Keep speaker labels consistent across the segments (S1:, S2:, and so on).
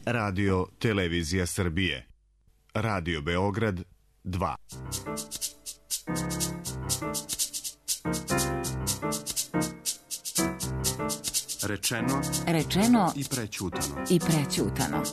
S1: Radio Televizija Srbije. Radio Beograd 2.
S2: Rečeno
S3: i prećutano.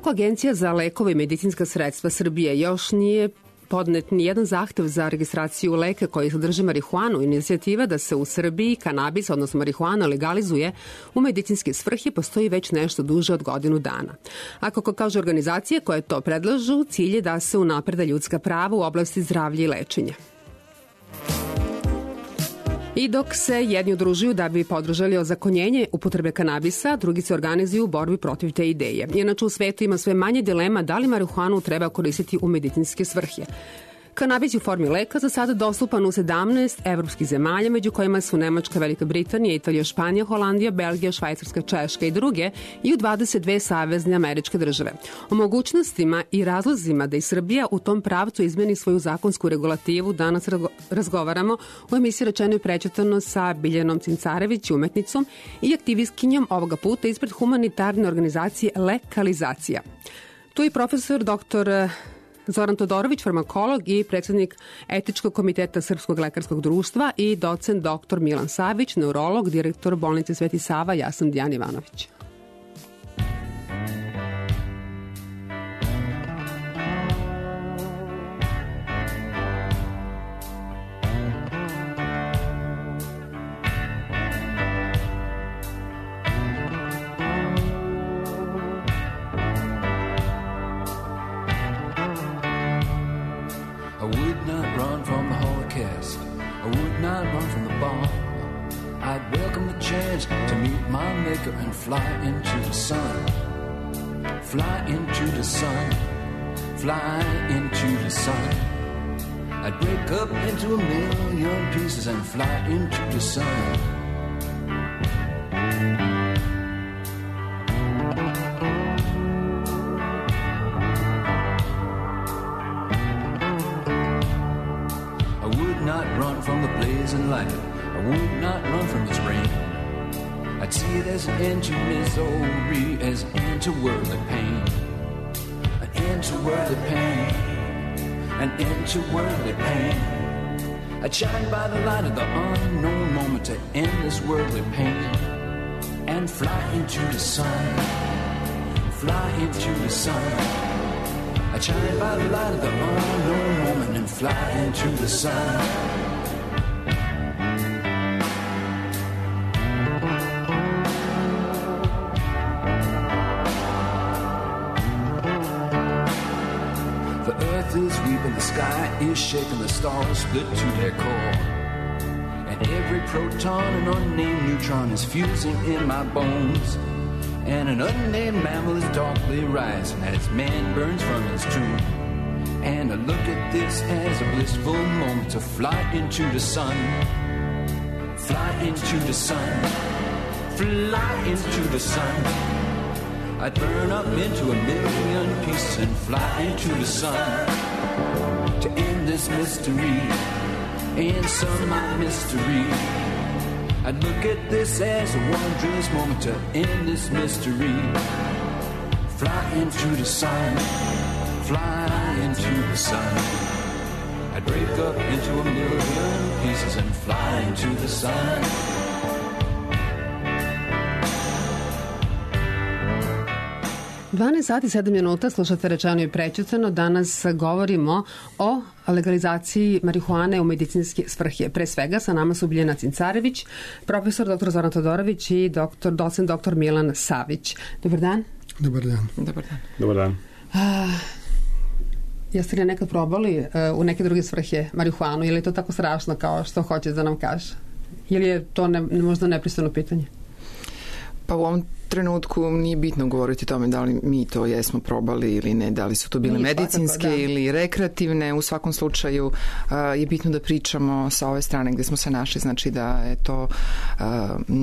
S2: Iako Agencija za lekove i medicinska sredstva Srbije još nije podnet nijedan zahtev za registraciju leka koji sadrže marihuanu, inicijativa da se u Srbiji kanabis, odnosno marihuana, legalizuje u medicinske svrhe postoji već nešto duže od godinu dana. A kako kaže organizacije koje to predlažu, cilj je da se unaprede ljudska prava u oblasti zdravlja i lečenja. I dok se jedni udružuju da bi podržali ozakonjenje upotrebe kanabisa, drugi se organizuju u borbi protiv te ideje. Inače u svetu ima sve manje dilema da li marihuanu treba koristiti u medicinske svrhe. Kanabis je u formi leka za sada dostupan u 17 evropskih zemalja, među kojima su Nemačka, Velika Britanija, Italija, Španija, Holandija, Belgija, Švajcarska, Češka i druge i u 22 savezne američke države. O mogućnostima i razlozima da i Srbija u tom pravcu izmeni svoju zakonsku regulativu danas razgovaramo u emisiji Rečeno i prećutano sa Biljanom Cincarević, umetnicom i aktivistkinjom ovoga puta ispred humanitarne organizacije Lekalizacija. Tu je profesor dr. Zoran Todorović, farmakolog i predsednik Etičkog komiteta Srpskog lekarskog društva i docent dr. Milan Savić, neurolog, direktor bolnice Sveti Sava. Ja sam Dijana Ivanović.
S4: And fly into the sun, fly into the sun, fly into the sun. I'd break up into a million pieces and fly into the sun. I would not run from the blazing light. I would not run from its rain. I'd see it as an end to misery, as an end to worldly pain. An end to worldly pain. An end to worldly pain. I'd shine by the light of the unknown moment to end this worldly pain. And fly into the sun. Fly into the sun. I'd shine by the light of the unknown moment and fly into the sun. Is weeping, the sky is shaking, the stars split to their core, and every proton and unnamed neutron is fusing in my bones, and an unnamed mammal is darkly rising as man burns from his tomb. And I look at this as a blissful moment to fly into the sun. Fly into the sun. Fly into the sun. I'd burn up into a million pieces and fly into the sun to end this mystery, answer my mystery. I'd look at this as a wondrous moment to end this mystery. Fly into the sun, fly into the sun. I'd break up into a million pieces and fly into the sun.
S2: 12 sati 7 minuta, slušate Rečeno i prećutano. Danas govorimo o legalizaciji marihuane u medicinske svrhe. Pre svega sa nama su Biljana Cincarević, profesor dr. Zoran Todorović i docent dr. Milan Savić. Dobar dan.
S5: Dobar dan.
S2: Dobar dan.
S6: Dobar dan.
S2: Jeste li nekad probali u neke druge svrhe marihuanu ili je to tako strašno kao što hoće da nam kaže? Ili je to možda nepristojno pitanje?
S3: Pa u ovom trenutku nije bitno govoriti o tome da li mi to jesmo probali ili ne, da li su to bile medicinske ili rekreativne. U svakom slučaju je bitno da pričamo sa ove strane gde smo se našli, znači da je to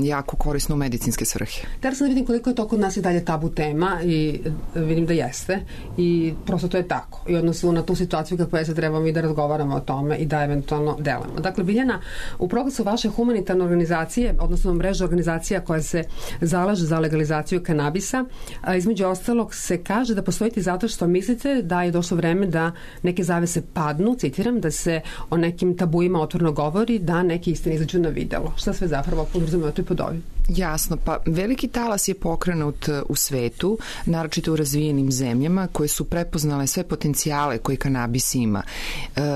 S3: jako korisno u medicinske svrhe.
S2: Teraz da vidim koliko je to kod nas i dalje tabu tema i vidim da jeste i prosto to je tako. I odnosu na tu situaciju kako je se trebamo i da razgovaramo o tome i da eventualno delamo. Dakle, Biljana, u progresu vaše humanitarne organizacije, odnosno mreže organizacija koja se zalaže za legalizaciju kanabisa, a između ostalog se kaže da postojite zato što mislite da je došlo vreme da neke zavese padnu, citiram, da se o nekim tabuima otvoreno govori, da neke istine izađu na videlo. Šta sve zapravo podrazumevate pod ovim?
S3: Jasno, pa veliki talas je pokrenut u svetu, naročito u razvijenim zemljama koje su prepoznale sve potencijale koje kanabis ima.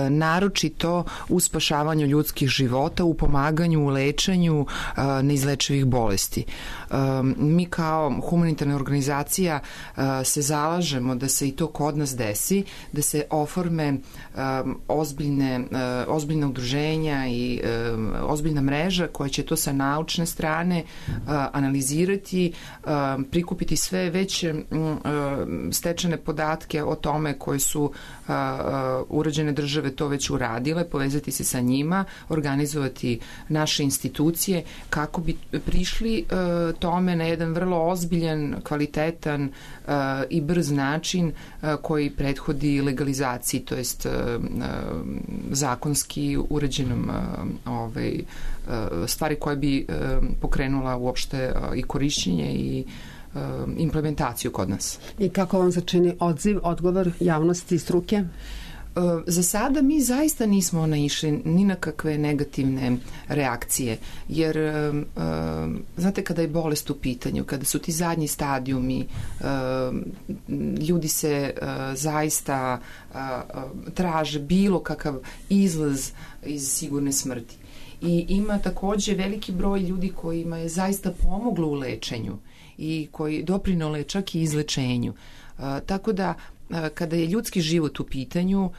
S3: Naročito u spašavanju ljudskih života, u pomaganju, u lečenju neizlečivih bolesti. Mi kao humanitarna organizacija se zalažemo da se i to kod nas desi, da se oforme ozbiljna udruženja i ozbiljna mreža koja će to sa naučne strane analizirati, prikupiti sve već stečene podatke o tome koje su urađene države to već uradile, povezati se sa njima, organizovati naše institucije kako bi prišli tome na jedan vrlo ozbiljan, kvalitetan i brz način koji prethodi legalizaciji, to jest zakonski uređenom stvari koje bi pokrenula uopšte i korišćenje i implementaciju kod nas.
S2: I kako vam se čini odgovor javnosti i struke?
S3: Za sada mi zaista nismo naišli ni na kakve negativne reakcije, jer znate kada je bolest u pitanju, kada su ti zadnji stadijumi, ljudi se zaista traže bilo kakav izlaz iz sigurne smrti. I ima takođe veliki broj ljudi kojima je zaista pomoglo u lečenju i koji doprinole čak i izlečenju. Tako da kada je ljudski život u pitanju,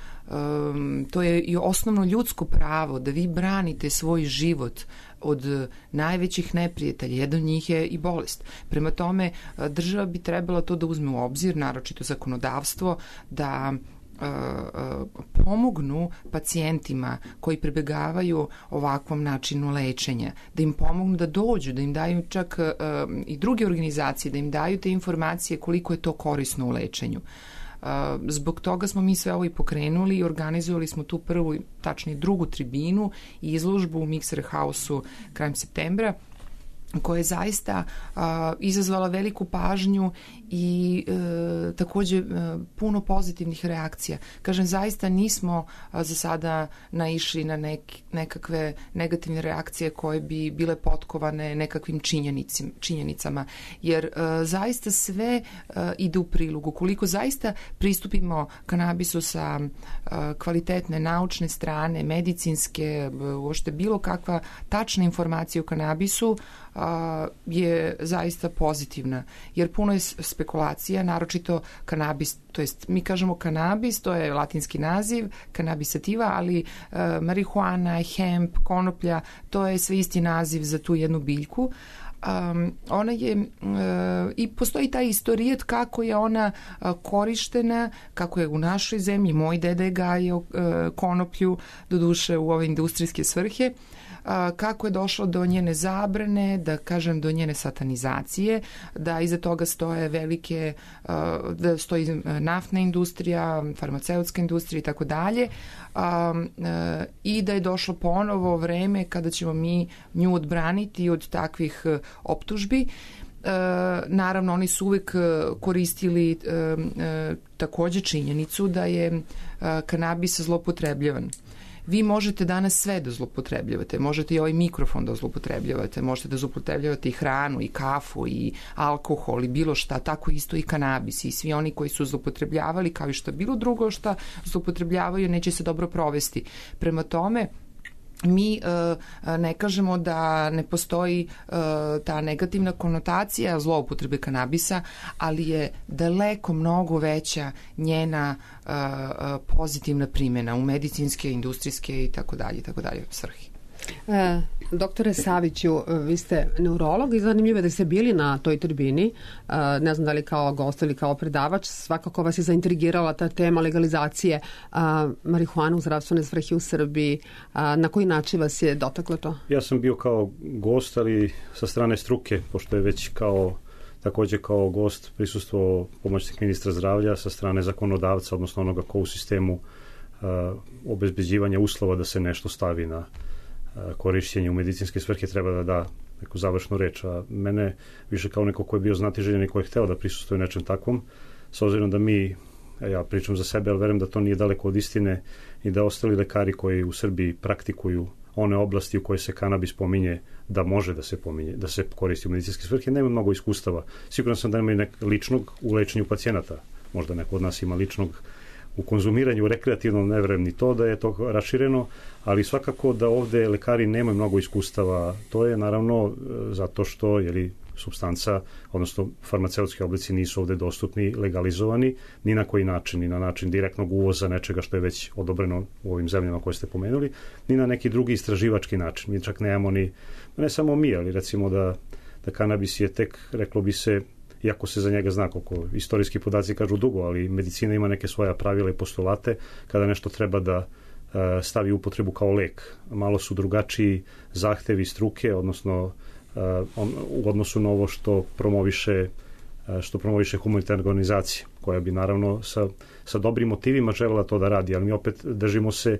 S3: to je i osnovno ljudsko pravo da vi branite svoj život od najvećih neprijatelja. Jedan od njih je i bolest. Prema tome, država bi trebala to da uzme u obzir, naročito zakonodavstvo, da pomognu pacijentima koji pribegavaju ovakvom načinu lečenja, da im pomognu da dođu, da im daju čak i druge organizacije, da im daju te informacije koliko je to korisno u lečenju. Zbog toga smo mi sve ovo i pokrenuli i organizovali smo tu prvu, tačnije drugu tribinu i izložbu u Mixer House-u krajem septembra, koja je zaista izazvala veliku pažnju i takođe puno pozitivnih reakcija. Kažem, zaista nismo za sada naišli na nekakve negativne reakcije koje bi bile potkovane nekakvim činjenicama, jer zaista sve ide u prilog. Ukoliko zaista pristupimo kanabisu sa kvalitetne naučne strane, medicinske, uopšte bilo kakva tačna informacija o kanabisu je zaista pozitivna, jer puno je spekulacija, naročito kanabis, to jest mi kažemo kanabis, to je latinski naziv, kanabis sativa, ali marihuana, hemp, konoplja, to je sve isti naziv za tu jednu biljku. Ona je i postoji taj istorijat kako je ona korištena, kako je u našoj zemlji, moj deda je gajio konoplju, doduše u ove industrijske svrhe, kako je došlo do njene zabrane, da kažem do njene satanizacije, da iza toga stoje velike, da stoji naftna industrija, farmaceutska industrija i tako dalje, i da je došlo ponovo vreme kada ćemo mi nju odbraniti od takvih optužbi. Naravno, oni su uvek koristili takođe činjenicu da je kanabis zloupotrebljavan. Vi možete danas sve da zloupotrebljavate, možete i ovaj mikrofon da zloupotrebljavate, možete da zloupotrebljavate i hranu, i kafu, i alkohol, i bilo šta, tako isto i kanabis, i svi oni koji su zloupotrebljavali, kao i šta bilo drugo šta zloupotrebljavaju, neće se dobro provesti. Prema tome, mi ne kažemo da ne postoji ta negativna konotacija zloupotrebe kanabisa, ali je daleko mnogo veća njena pozitivna primjena u medicinske, industrijske i tako dalje svrhe.
S2: Doktore Saviću, vi ste neurolog i zanimljivo je da ste bili na toj tribini, ne znam da li kao gost ili kao predavač, svakako vas je zaintrigirala ta tema legalizacije marihuane u zdravstvene svrhe u Srbiji. Na koji način vas je dotaklo to?
S5: Ja sam bio kao gost, ali sa strane struke, pošto je već takođe kao gost prisustvovao pomoćnik ministra zdravlja sa strane zakonodavca, odnosno onoga ko u sistemu obezbeđivanja uslova da se nešto stavi na korišćenje u medicinske svrhe treba da da neku završnu reč, a mene više kao neko ko je bio znatiželjen i ko je hteo da prisustuje nečem takvom, s obzirom da ja pričam za sebe, ali verujem da to nije daleko od istine i da ostali lekari koji u Srbiji praktikuju one oblasti u koje se kanabis pominje da može da se koristi u medicinske svrhe, nema mnogo iskustava. Siguran sam da nema ličnog u lečenju pacijenata, možda neko od nas ima ličnog u konzumiranju rekreativnom, ne verujem ni to da je to rašireno, ali svakako da ovde lekari nemaju mnogo iskustava. To je naravno zato što supstanca, odnosno farmaceutski oblici nisu ovde dostupni, legalizovani, ni na koji način, ni na način direktnog uvoza nečega što je već odobreno u ovim zemljama koje ste pomenuli, ni na neki drugi istraživački način. Mi čak nemamo ne samo mi, ali recimo da kanabis je tek, reklo bi se, iako se za njega zna koliko istorijski podaci kažu dugo, ali medicina ima neke svoja pravila i postulate kada nešto treba da stavi upotrebu kao lek. Malo su drugačiji zahtevi struke, odnosno u odnosu na ovo što promoviše humanitarna organizacija, koja bi naravno sa dobrim motivima želela to da radi, ali mi opet držimo se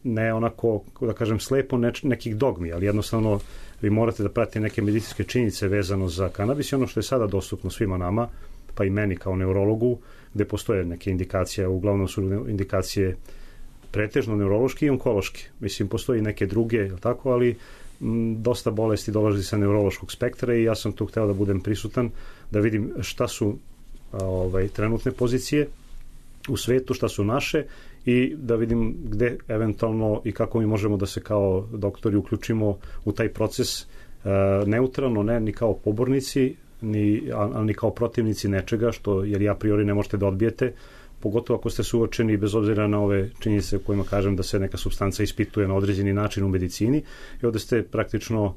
S5: ne onako, da kažem, slepo nekih dogmi, ali jednostavno vi morate da pratite neke medicinske činjenice vezano za kanabis i ono što je sada dostupno svima nama, pa i meni kao neurologu, gde postoje neke indikacije, uglavnom su indikacije pretežno neurološki i onkološki. Mislim, postoji neke druge, tako, ali dosta bolesti dolazi sa neurološkog spektra i ja sam tu hteo da budem prisutan, da vidim šta su trenutne pozicije u svetu, šta su naše i da vidim gde eventualno i kako mi možemo da se kao doktori uključimo u taj proces neutralno, ne ni kao pobornici, ni kao protivnici nečega, jer a priori ne možete da odbijete, pogotovo ako ste suočeni bez obzira na ove činjenice u kojima kažem da se neka supstanca ispituje na određeni način u medicini i ovde ste praktično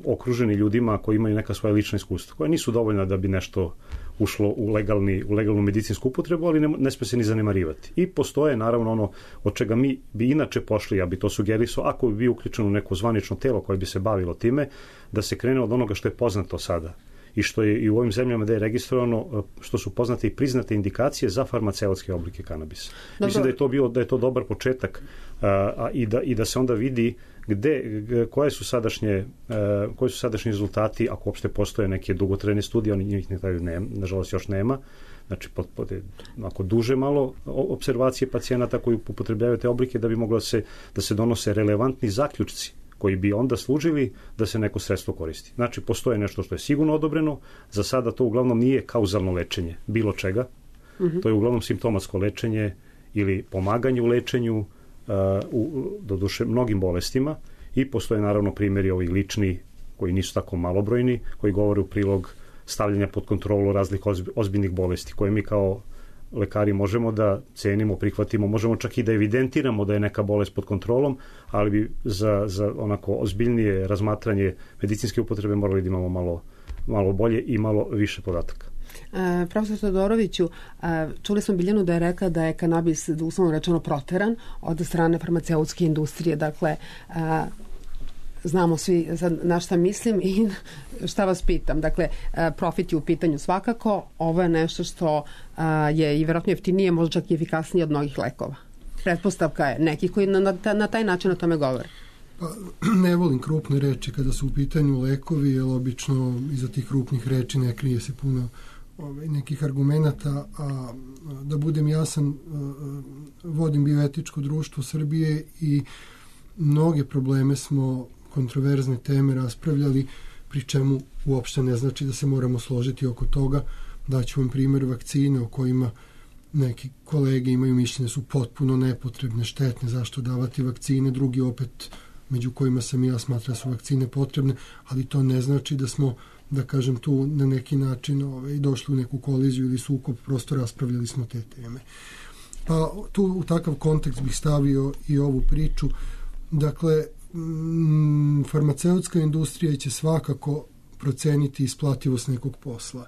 S5: okruženi ljudima koji imaju neka svoja lična iskustva, koja nisu dovoljna da bi nešto ušlo u legalnu medicinsku upotrebu, ali ne sme se ni zanemarivati. I postoje naravno ono od čega mi bi inače pošli, ja bi to sugerisao, ako bi bio uključen u neko zvanično telo koje bi se bavilo time, da se krene od onoga što je poznato sada i što je i u ovim zemljama da je registrovano, što su poznate i priznate indikacije za farmaceutske oblike kanabisa. Dobro. Mislim da je to dobar početak i da se onda vidi koji su sadašnji rezultati, ako uopšte postoje neke dugotrajne studije, oni njih nažalost još nema. Znači, ako duže malo observacije pacijenata koji upotrebljavaju te oblike, da bi moglo da se donose relevantni zaključci koji bi onda služili da se neko sredstvo koristi. Znači, postoje nešto što je sigurno odobreno, za sada to uglavnom nije kauzalno lečenje bilo čega, to je uglavnom simptomatsko lečenje ili pomaganje u lečenju, doduše mnogim bolestima, i postoje naravno primjeri ovi lični koji nisu tako malobrojni, koji govore u prilog stavljanja pod kontrolu raznih ozbiljnih bolesti koje mi kao lekari možemo da cenimo, prihvatimo, možemo čak i da evidentiramo da je neka bolest pod kontrolom, ali bi za onako ozbiljnije razmatranje medicinske upotrebe morali da imamo malo bolje i malo više podataka.
S2: Profesor Todoroviću, čuli smo Biljanu da je rekla da je kanabis uslovno rečeno proteran od strane farmaceutske industrije. Dakle, znamo svi na šta mislim i šta vas pitam. Dakle, profit je u pitanju svakako. Ovo je nešto što je i vjerojatno jeftinije, možda čak i efikasnije od mnogih lekova. Pretpostavka je nekih koji na taj način o tome govore.
S6: Pa, ne volim krupne reči kada su u pitanju lekovi, jer obično iza tih krupnih reči ne krije se puno nekih argumenata, a da budem jasan, vodim bioetičko društvo Srbije i mnoge probleme smo, kontroverzne teme raspravljali, pri čemu uopšte ne znači da se moramo složiti oko toga. Daću vam primjer vakcine o kojima neki kolege imaju mišljenje su potpuno nepotrebne, štetne, zašto davati vakcine, drugi opet, među kojima sam i ja, smatra su vakcine potrebne, ali to ne znači da smo, da kažem, tu na neki način došli u neku koliziju ili sukob, prosto raspravljali smo te teme. Pa tu u takav kontekst bih stavio i ovu priču. Dakle, farmaceutska industrija će svakako proceniti isplativost nekog posla.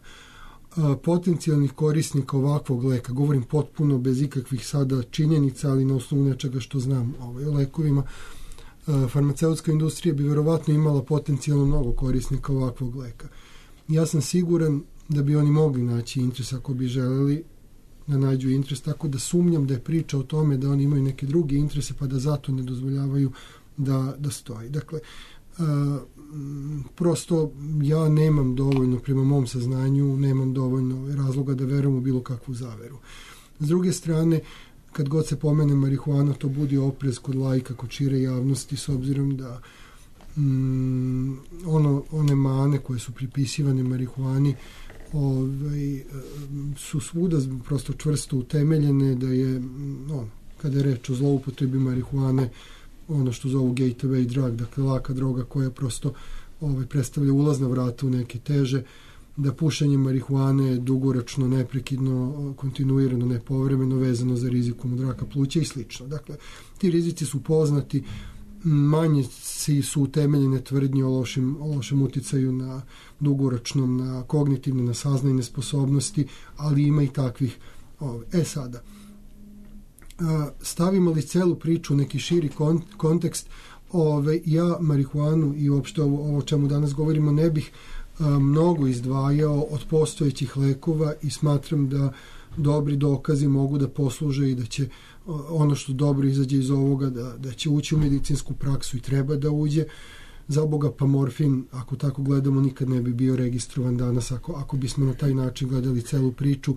S6: Potencijalnih korisnika ovakvog leka, govorim potpuno bez ikakvih sada činjenica, ali na osnovu nečega što znam o lekovima, farmaceutska industrija bi verovatno imala potencijalno mnogo korisnika ovakvog leka. Ja sam siguran da bi oni mogli naći interes ako bi želeli da nađu interes, tako da sumnjam da je priča o tome da oni imaju neke druge interese pa da zato ne dozvoljavaju da stoji. Dakle, prosto ja nemam dovoljno, prema mom saznanju, nemam dovoljno razloga da verujem u bilo kakvu zaveru. S druge strane, kad god se pomene marihuana, to budi oprez kod laika, kod šire javnosti, s obzirom da one mane koje su pripisivane marihuani su svuda prosto čvrsto utemeljene, da je, kada je reč o zloupotrebi marihuane, ono što zovu gateway drug, dakle laka droga koja prosto predstavlja ulazna vrata u neke teže, da pušenje marihuane je dugoročno, neprekidno, kontinuirano, nepovremeno vezano za rizikom od raka pluća i slično. Dakle, ti rizici su poznati, manje su utemeljene tvrdnje o lošem uticaju na dugoročnom, na kognitivne, na saznajne sposobnosti, ali ima i takvih. Sada, stavimo li celu priču u neki širi kontekst, ja marihuanu i uopšte ovo o čemu danas govorimo ne bih mnogo izdvajao od postojećih lekova i smatram da dobri dokazi mogu da posluže i da će ono što dobro izađe iz ovoga da će ući u medicinsku praksu i treba da uđe. Za Boga, pa morfin, ako tako gledamo, nikad ne bi bio registrovan danas ako bismo na taj način gledali celu priču.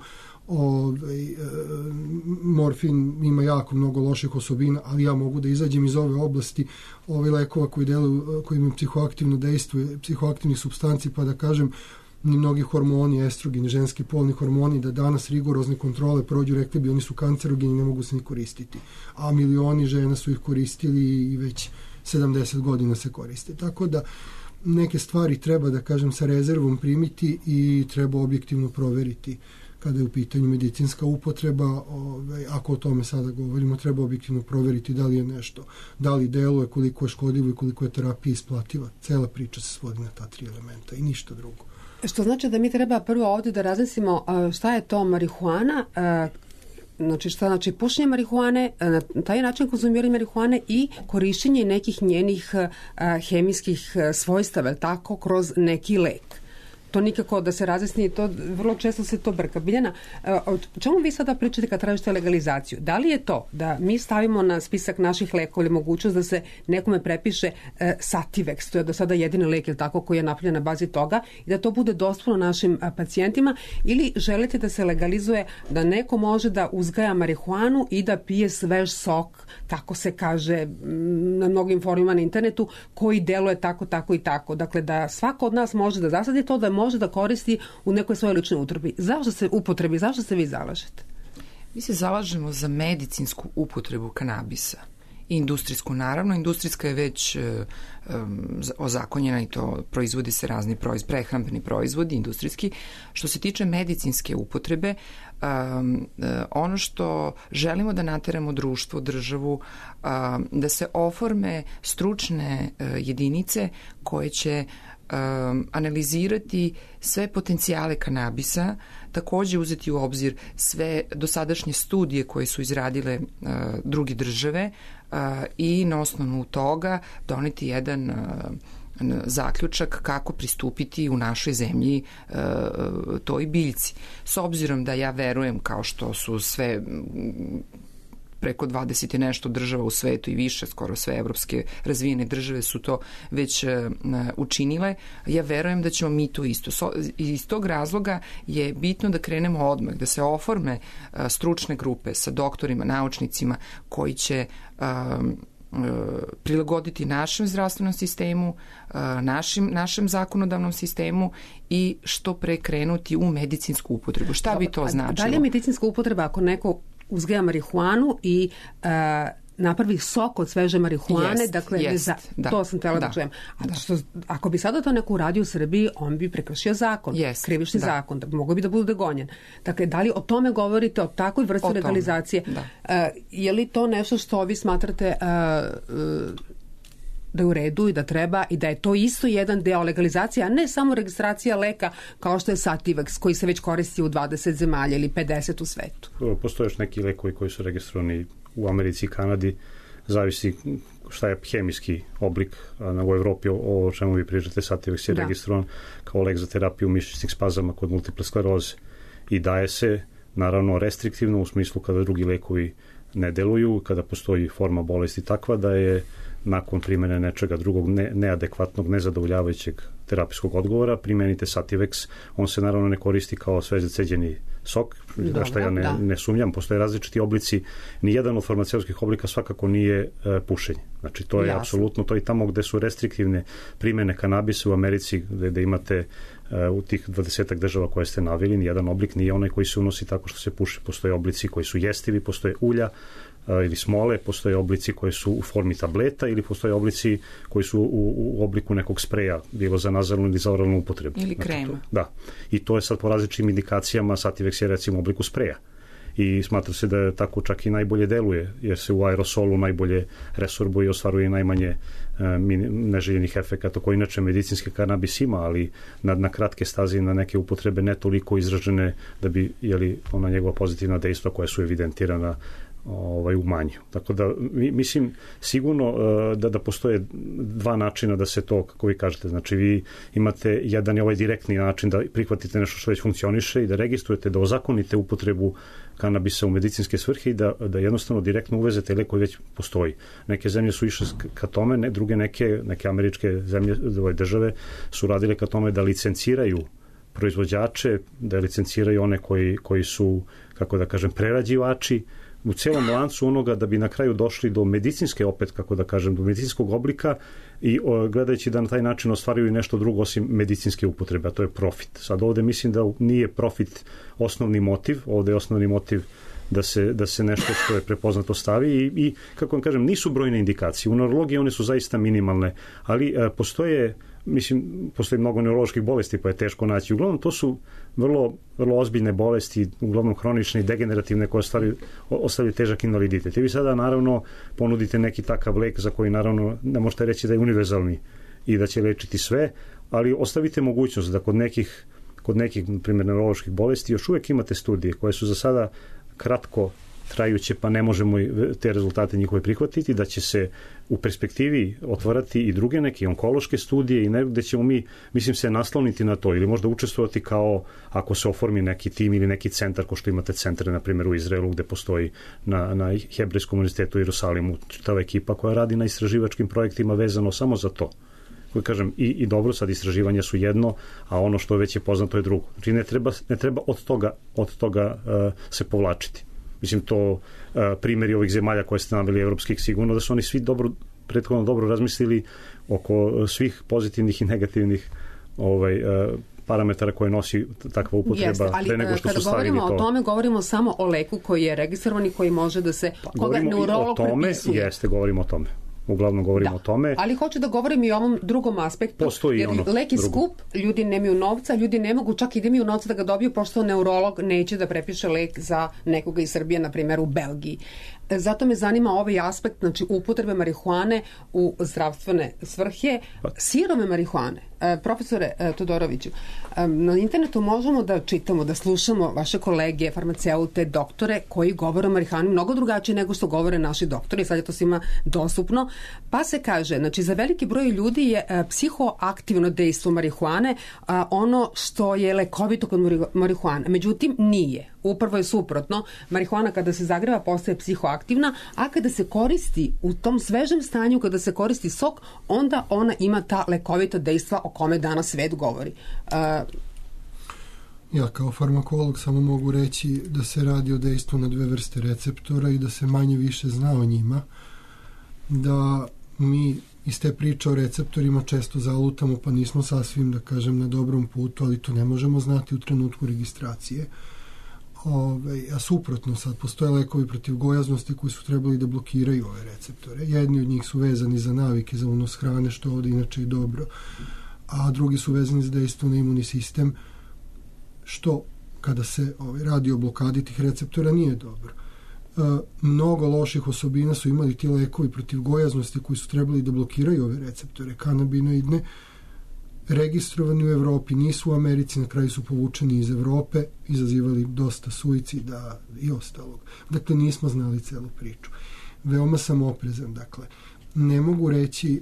S6: Morfin ima jako mnogo loših osobina, ali ja mogu da izađem iz ove oblasti lekova koji imaju psihoaktivno dejstvo, psihoaktivnih supstanci, pa da kažem, ni mnogi hormoni, estrogeni, ženski polni hormoni, da danas rigorozne kontrole prođu, rekli bi oni su kancerogeni, ne mogu se ni koristiti. A milioni žena su ih koristili i već 70 godina se koriste. Tako da neke stvari treba, da kažem, sa rezervom primiti i treba objektivno proveriti kada je u pitanju medicinska upotreba. Ako o tome sada govorimo, treba objektivno proveriti da li je nešto, da li deluje, koliko je škodljivo i koliko je terapija isplativa. Cela priča se svodi na ta 3 elementa i ništa drugo.
S2: Što znači da mi treba prvo ovdje da razmislimo šta je to marihuana, znači šta znači pušenje marihuane, na taj način konzumiranje marihuane i korišćenje nekih njenih hemijskih svojstava, tako, kroz neki lek. To nikako da se razjasni, to vrlo često se to brka. Biljana, o čemu vi sada pričate kad tražite legalizaciju? Da li je to da mi stavimo na spisak naših lekova ili mogućnost da se nekome prepiše Sativex, to je do sada jedini lek, ili tako, koji je napravljen na bazi toga, i da to bude dostupno našim pacijentima, ili želite da se legalizuje da neko može da uzgaja marihuanu i da pije svež sok, tako se kaže na mnogim forumima na internetu, koji deluje tako, tako i tako. Dakle, da svako od nas može da zasadi to, da može da koristi u nekoj svojoj ličnoj upotrebi. Zašto se vi zalažete?
S3: Mi se zalažemo za medicinsku upotrebu kanabisa. I industrijsku, naravno. Industrijska je već ozakonjena i to proizvodi se razni prehrambeni proizvodi, industrijski. Što se tiče medicinske upotrebe, ono što želimo da nateramo društvo, državu, da se oforme stručne jedinice koje će analizirati sve potencijale kanabisa, takođe uzeti u obzir sve dosadašnje studije koje su izradile druge države i na osnovu toga doneti jedan zaključak kako pristupiti u našoj zemlji toj biljci. S obzirom da ja verujem, kao što su sve preko 20 i nešto država u svetu i više, skoro sve evropske razvijene države su to već učinile, ja verujem da ćemo mi to isto. Iz tog razloga je bitno da krenemo odmah, da se oforme stručne grupe sa doktorima, naučnicima koji će prilagoditi našem zdravstvenom sistemu, našem zakonodavnom sistemu i što pre krenuti u medicinsku upotrebu. Šta bi to značilo?
S2: Da li je medicinska upotreba ako neko uzgaja marihuanu i napravi sok od sveže marihuane, to sam htjela da čujem. Ako bi sada to neko uradio u Srbiji, on bi prekršio zakon, krivični zakon, mogo bi da bude gonjen. Dakle, da li o tome govorite, o takvoj vrsti legalizacije? Je li to nešto što vi smatrate da je u redu i da treba i da je to isto jedan deo legalizacije, a ne samo registracija leka kao što je Sativex, koji se već koristi u 20 zemalja ili 50 u svetu?
S5: Postoje još neki lekovi koji su registrovani u Americi i Kanadi, zavisi šta je hemijski oblik, a u Evropi o čemu vi pričate, Sativex je registrovan kao lek za terapiju mišićnih spazama kod multiple skleroze i daje se naravno restriktivno u smislu kada drugi lekovi ne deluju, kada postoji forma bolesti takva da je nakon primjene nečega drugog neadekvatnog, nezadovoljavajućeg terapijskog odgovora, primenite Sativex. On se naravno ne koristi kao sveže ceđeni sok, što ja ne sumnjam. Postoje različiti oblici. Nijedan od farmaceutskih oblika svakako nije pušenje. Znači, to je apsolutno, to i tamo gde su restriktivne primjene kanabisa u Americi, gde imate u tih 20 država koje ste naveli, nijedan oblik nije onaj koji se unosi tako što se puši. Postoje oblici koji su jestivi, postoje ulja ili smole, postoje oblici koji su u formi tableta ili postoje oblici koji su u obliku nekog spreja, bilo za nazalnu ili za oralnu upotrebu.
S3: Ili krema.
S5: Da. I to je sad po različitim indikacijama, Sativex je recimo u obliku spreja. I smatra se da tako čak i najbolje deluje, jer se u aerosolu najbolje resorbuje i ostvaruje najmanje neželjenih efekata koji inače medicinski kanabis ima, ali na kratke staze i na neke upotrebe ne toliko izražene da bi ona njegova pozitivna dejstva koja su evidentirana u manju. Tako da mislim sigurno da postoje dva načina da se to, kako vi kažete, znači vi imate jedan je ovaj direktni način da prihvatite nešto što već funkcioniše i da registrujete, da ozakonite upotrebu kanabisa u medicinske svrhe i da jednostavno direktno uvezete lek koji već postoji. Neke zemlje su išle ka tome, druge neke američke zemlje, države su radile ka tome da licenciraju proizvođače, da licenciraju one koji su, kako da kažem, prerađivači u celom lancu onoga da bi na kraju došli do medicinske, opet kako da kažem, do medicinskog oblika i gledajući da na taj način ostvaruju nešto drugo osim medicinske upotrebe, a to je profit. Sad ovde mislim da nije profit osnovni motiv, ovde je osnovni motiv da se nešto što je prepoznato stavi i kako vam kažem, nisu brojne indikacije. U neurologiji one su zaista minimalne, ali postoji mnogo neuroloških bolesti pa je teško naći. Uglavnom to su vrlo, vrlo ozbiljne bolesti, uglavnom hronične i degenerativne koje ostavljaju težak invaliditet. I vi sada naravno ponudite neki takav lek za koji naravno ne možete reći da je univerzalni i da će lečiti sve, ali ostavite mogućnost da kod nekih kod nekih, na primjer, neuroloških bolesti, još uvijek imate studije koje su za sada kratko trajuće, pa ne možemo te rezultate njihove prihvatiti, da će se u perspektivi otvarati i druge neke onkološke studije i gde ćemo mi, mislim, se nasloniti na to ili možda učestvovati kao ako se oformi neki tim ili neki centar, kao što imate centre, na primjer, u Izraelu, gde postoji na Hebrejskom univerzitetu u Jerusalimu čitava ekipa koja radi na istraživačkim projektima vezano samo za to. Koji kažem, i dobro, sad istraživanja su jedno, a ono što već je poznato je drugo. Znači ne treba od toga se povlačiti. Mislim, to primjeri ovih zemalja koje ste naveli, evropskih, sigurno da su oni svi prethodno dobro razmislili oko svih pozitivnih i negativnih parametara koje nosi takva upotreba pre nego što su stavili to.
S2: Kada govorimo o tome, govorimo samo o leku koji je registrovan i koji može da se, koga neurolog prepisuje.
S5: Jeste, govorimo o tome. Uglavnom govorimo o tome.
S2: Ali hoću da govorim i o ovom drugom aspektu.
S5: Postoji
S2: jer lek je skup, ljudi nemaju novca, ljudi ne mogu čak i da imaju novca da ga dobiju, pošto neurolog neće da prepiše lek za nekoga iz Srbije, na primjer u Belgiji. Zato me zanima ovaj aspekt, znači upotrebe marihuane u zdravstvene svrhe, sirove marihuane. Profesore Todoroviću, na internetu možemo da čitamo, da slušamo vaše kolege, farmaceute, doktore koji govore o marihuani mnogo drugačije nego što govore naši doktori, sad je to svima dostupno, pa se kaže, znači za veliki broj ljudi je psihoaktivno dejstvo marihuane ono što je lekovito kod marihuane, međutim nije. Upravo je suprotno, marihuana kada se zagreva postaje psihoaktivna, a kada se koristi u tom svežem stanju, kada se koristi sok, onda ona ima ta lekovita dejstva o kome danas svet govori.
S6: Ja kao farmakolog samo mogu reći da se radi o dejstvu na dve vrste receptora i da se manje više zna o njima, da mi iz te priče o receptorima često zalutamo, pa nismo sasvim, da kažem, na dobrom putu, ali to ne možemo znati u trenutku registracije. A suprotno, sad postoje lekovi protiv gojaznosti koji su trebali da blokiraju ove receptore. Jedni od njih su vezani za navike, za unos hrane, što ovde inače i dobro, a drugi su vezani za dejstvo na imunni sistem, što kada se radi o blokadi tih receptora nije dobro. Mnogo loših osobina su imali ti lekovi protiv gojaznosti koji su trebali da blokiraju ove receptore kanabinoidne, registrovani u Evropi, nisu u Americi, na kraju su povučeni iz Evrope, izazivali dosta suicida i ostalog. Dakle, nismo znali celu priču. Veoma sam oprezan, dakle. Ne mogu reći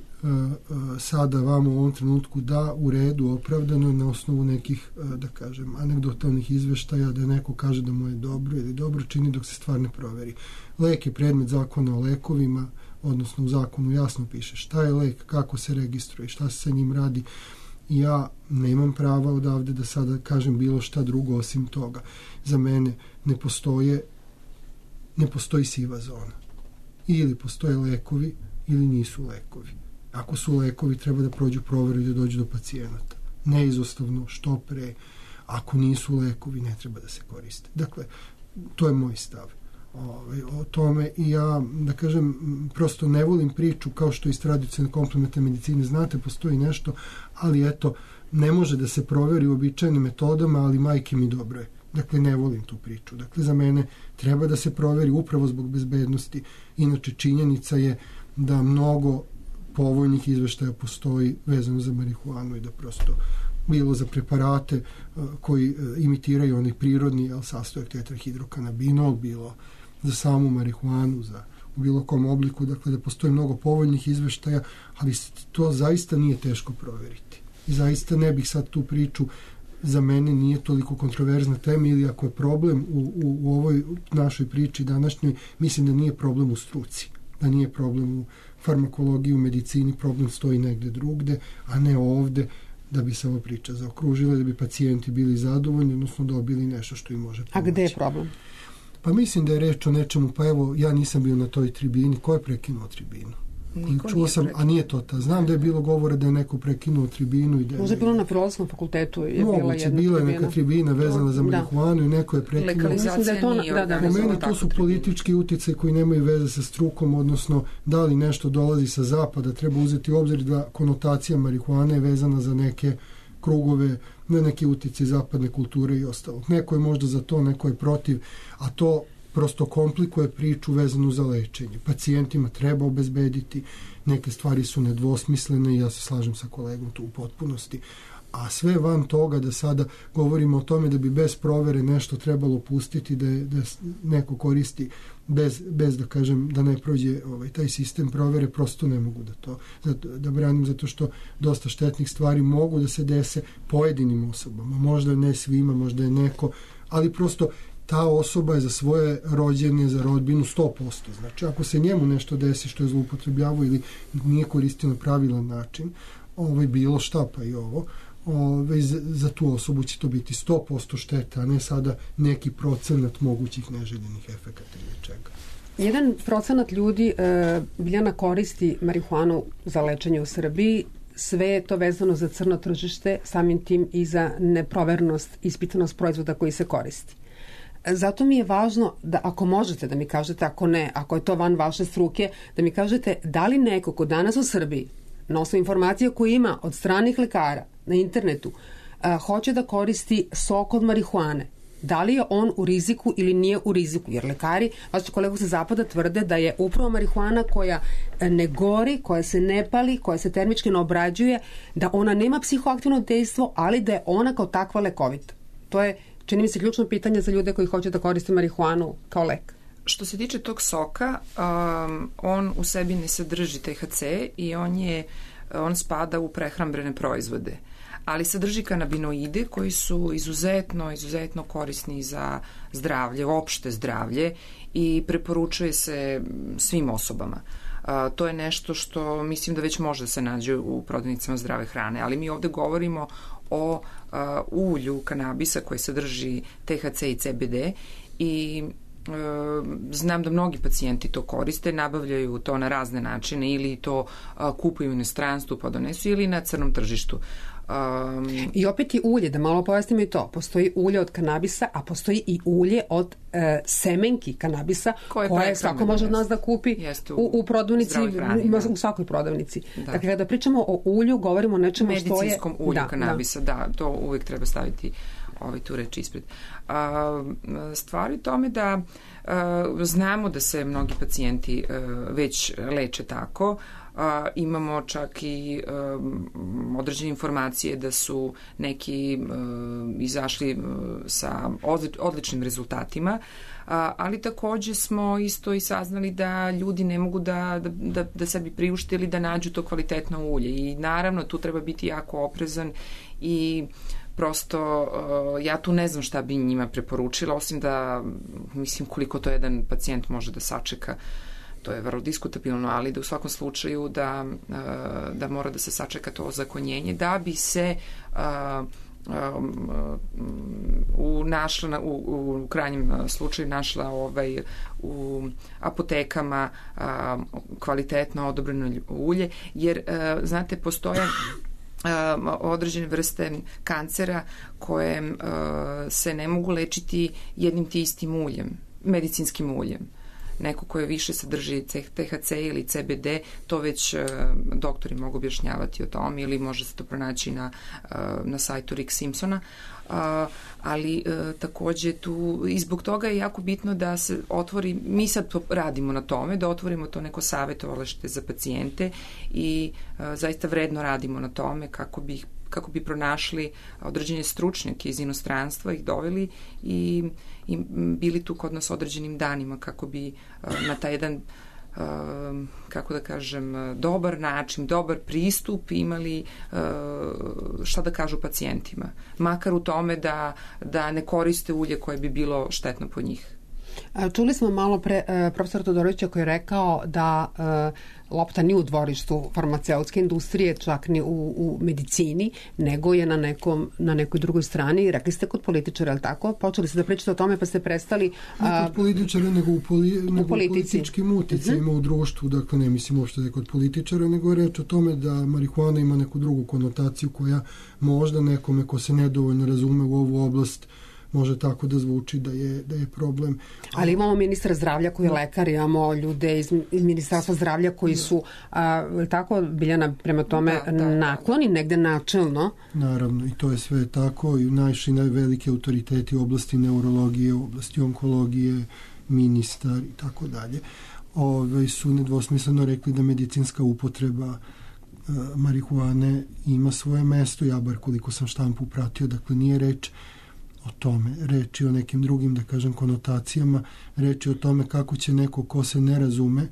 S6: sada vam u ovom trenutku da u redu opravdano na osnovu nekih, da kažem, anegdotalnih izveštaja da neko kaže da mu je dobro ili dobro čini dok se stvar ne proveri. Lek je predmet zakona o lekovima, odnosno u zakonu jasno piše šta je lek, kako se registruje, šta se sa njim radi. Ja nemam prava odavde da sada kažem bilo šta drugo osim toga. Za mene ne postoji siva zona. Ili postoje lekovi ili nisu lekovi. Ako su lekovi, treba da prođu proveru i da dođu do pacijenata. Neizostavno, što pre. Ako nisu lekovi, ne treba da se koriste. Dakle, to je moj stav o tome i ja, da kažem, prosto ne volim priču kao što iz tradicionalne komplementarne medicine, znate, postoji nešto, ali eto, ne može da se proveri uobičajenim metodama, ali majke mi dobro je. Dakle, ne volim tu priču. Dakle, za mene treba da se proveri upravo zbog bezbednosti. Inače, činjenica je da mnogo povoljnih izveštaja postoji vezano za marihuanu i da prosto bilo za preparate koji imitiraju onaj prirodni sastojak tetrahidrokanabinol, bilo za samu marihuanu, u bilo kom obliku, dakle da postoji mnogo povoljnih izveštaja, ali to zaista nije teško proveriti. I zaista ne bih sad tu priču, za mene nije toliko kontroverzna tema, ili ako je problem u ovoj našoj priči današnjoj, mislim da nije problem u struci, da nije problem u farmakologiji, u medicini, problem stoji negde drugde, a ne ovde, da bi se ova priča zaokružila, da bi pacijenti bili zadovoljni, odnosno dobili nešto što im može pomoći.
S2: A gde je problem?
S6: Pa mislim da je reč o nečemu, pa evo, ja nisam bio na toj tribini. Ko je prekinuo tribinu? Čuo sam, a nije to ta. Znam da je bilo govora da je neko prekinuo tribinu.
S2: Možda je bilo na Filozofskom fakultetu.
S6: Moguće, bila je neka tribina vezana za marihuanu i neko je prekinuo.
S3: Legalizacija nije
S6: organizovana. Po meni to su politički uticaji koji nemaju veze sa strukom, odnosno da li nešto dolazi sa zapada. Treba uzeti u obzir da konotacija marihuane je vezana za neke krugove, na neke utice zapadne kulture i ostalo. Neko je možda za to, neko je protiv, a to prosto komplikuje priču vezanu za lečenje. Pacijentima treba obezbediti, neke stvari su nedvosmislene i ja se slažem sa kolegom tu u potpunosti, A sve van toga da sada govorimo o tome da bi bez provere nešto trebalo pustiti, da neko koristi bez da kažem da ne prođe taj sistem provere, prosto ne mogu da branim, zato što dosta štetnih stvari mogu da se dese pojedinim osobama, možda ne svima, možda je neko, ali prosto ta osoba je za svoje rođene, za rodbinu 100%. Znači, ako se njemu nešto desi što je zloupotrebljavao ili nije koristio na pravilan način, bilo šta pa i ovo, za tu osobu će to biti 100% šteta, a ne sada neki procenat mogućih neželjenih efekata ili čega.
S2: 1% ljudi Biljana koristi marihuanu za lečenje u Srbiji, sve je to vezano za crno tržište, samim tim i za neprovernost, ispitanost proizvoda koji se koristi. Zato mi je važno da ako možete da mi kažete, ako ne, ako je to van vaše struke, da mi kažete da li neko ko danas u Srbiji, na osnovu informacija koje ima od stranih lekara na internetu, hoće da koristi sok od marihuane, da li je on u riziku ili nije u riziku, jer lekari, vaši kolegu sa zapada tvrde da je upravo marihuana koja ne gori, koja se ne pali, koja se termički ne obrađuje, da ona nema psihoaktivno dejstvo, ali da je ona kao takva lekovita. To je, čini mi se, ključno pitanje za ljude koji hoće da koriste marihuanu kao lek.
S3: Što se tiče tog soka, on u sebi ne sadrži THC i on spada u prehrambene proizvode, ali sadrži kanabinoide koji su izuzetno korisni za zdravlje, opšte zdravlje, i preporučuje se svim osobama. To je nešto što mislim da već može da se nađe u prodavnicama zdrave hrane, ali mi ovde govorimo o ulju kanabisa koji sadrži THC i CBD i znam da mnogi pacijenti to koriste, nabavljaju to na razne načine, ili to kupuju u inostranstvu pa donesu, ili na crnom tržištu.
S2: I opet i ulje, da malo pojasnimo i to. Postoji ulje od kanabisa, a postoji i ulje od semenki kanabisa koje svako može od nas da kupi u prodavnici, u svakoj prodavnici. Da. Dakle, kada pričamo o ulju, govorimo o nečemu što je...
S3: Medicinskom ulju kanabisa, da, to uvijek treba staviti tu reč ispred. Stvari tome da znamo da se mnogi pacijenti već leče tako. Imamo čak i određene informacije da su neki izašli sa odličnim rezultatima, ali takođe smo isto i saznali da ljudi ne mogu da sebi priušte ili da nađu to kvalitetno ulje, i naravno tu treba biti jako oprezan i prosto ja tu ne znam šta bi njima preporučila, osim da mislim koliko to jedan pacijent može da sačeka. To je vrlo diskutabilno, ali da u svakom slučaju da mora da se sačeka to ozakonjenje da bi se u krajnjem slučaju našla u apotekama kvalitetno odobreno ulje, jer znate, postoje određene vrste kancera koje se ne mogu lečiti jednim ti istim uljem, medicinskim uljem. Neko koje više sadrži THC ili CBD, to već doktori mogu objašnjavati o tom, ili može se to pronaći na sajtu Rick Simpsona, ali takođe tu i zbog toga je jako bitno da se otvori, mi sad radimo na tome, da otvorimo to neko savjetovalište za pacijente i zaista vredno radimo na tome kako bi pronašli određene stručnjake iz inostranstva, ih doveli i bili tu kod nas određenim danima kako bi na taj jedan, kako da kažem, dobar način, dobar pristup imali šta da kažu pacijentima. Makar u tome da ne koriste ulje koje bi bilo štetno po njih.
S2: Čuli smo malo pre profesora Todorovića koji je rekao da lopta nije u dvorištu farmaceutske industrije, čak ni u medicini, nego je na nekoj drugoj strani. Rekli ste kod političara, ali tako? Počeli ste da pričate o tome pa ste prestali...
S6: Ne kod političara, nego u političkim uticajima u društvu. Dakle, ne mislim uopšte da je kod političara, nego je reč o tome da marihuana ima neku drugu konotaciju koja možda nekome ko se nedovoljno razume u ovu oblast može tako da zvuči da je problem.
S2: Ali imamo ministra zdravlja koji je lekar, imamo ljude iz Ministarstva zdravlja koji su tako, Biljana, prema tome nakloni negde načelno.
S6: Naravno, i to je sve tako, i najveliki autoriteti u oblasti neurologije, u oblasti onkologije, ministar i tako dalje, su nedvosmisleno rekli da medicinska upotreba marihuane ima svoje mesto, ja bar koliko sam štampu pratio, dakle nije reč o tome, reč je o nekim drugim, da kažem, konotacijama, reč je o tome kako će neko ko se ne razume